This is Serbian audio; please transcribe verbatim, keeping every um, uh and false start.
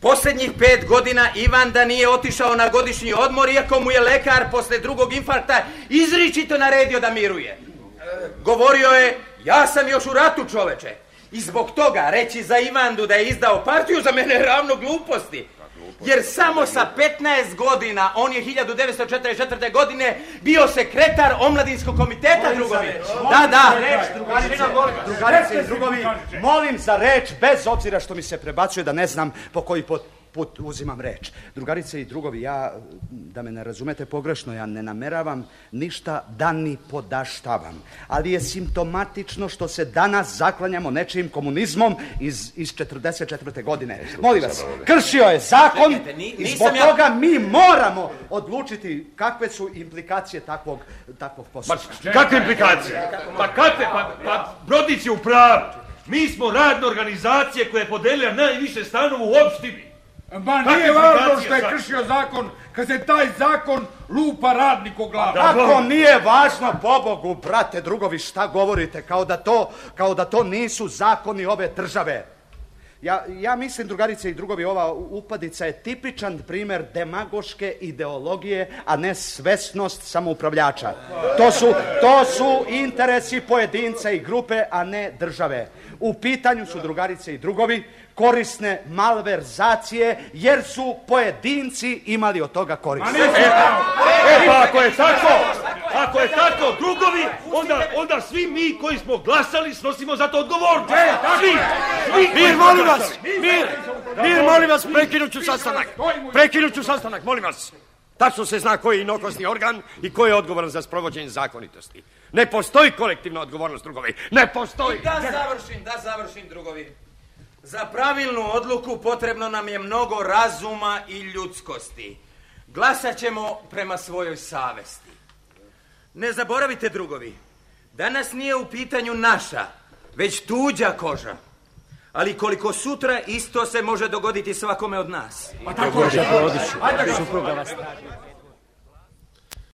Posljednjih pet godina Ivan da nije otišao na godišnji odmor, iako mu je lekar posle drugog infarkta izričito naredio da miruje. Govorio je, ja sam još u ratu, čoveče. I zbog toga reći za Ivandu da je izdao partiju za mene je ravno gluposti. Jer samo sa petnaest godina, on je hiljadu devetsto četrdeset četvrte. godine bio sekretar omladinskog komiteta, drugovi. Da, da. Drugarice i drugovi, molim za reč, bez obzira što mi se prebacuje da ne znam po koji put, put uzimam reč. Drugarice i drugovi, ja, da me ne razumete pogrešno, ja ne nameravam ništa da ni podaštavam. Ali je simptomatično što se danas zaklanjamo nečijim komunizmom iz, iz četrdeset četvrte. godine. Molim vas, kršio je zakon i zbog toga mi moramo odlučiti kakve su implikacije takvog, takvog posla. Kakve implikacije? Pa kakve? Pa, pa Brodić je u pravu. Mi smo radna organizacija koja je podelila najviše stanova u opštini. Ma nije važno što je kršio zakon, kad se taj zakon lupa radniku glavu. Ako nije važno, pobogu, brate, drugovi, šta govorite, kao da to, kao da to nisu zakoni ove države. Ja, ja mislim, drugarice i drugovi, ova upadica je tipičan primjer demagoške ideologije, a ne svesnost samoupravljača. To su, to su interesi pojedinca i grupe, a ne države. U pitanju su, drugarice i drugovi, korisne malverzacije, jer su pojedinci imali od toga korist. E, e pa ako je tako, ako je tako, drugovi, onda, onda svi mi koji smo glasali snosimo za to odgovornost. Svi, svi. Mir, molim vas, mir, mir, molim vas, prekinut ću sastanak. Prekinut ću sastanak, molim vas. Tačno se zna koji je inokosni organ i ko je odgovoran za sprovođenje zakonitosti. Ne postoji kolektivna odgovornost, drugovi. Ne postoji. Da završim, da završim, drugovi. Za pravilnu odluku potrebno nam je mnogo razuma i ljudskosti. Glasat ćemo prema svojoj savesti. Ne zaboravite, drugovi, danas nije u pitanju naša, već tuđa koža. Ali koliko sutra isto se može dogoditi svakome od nas. Pa tako je, Brodiću, supruga vas traži.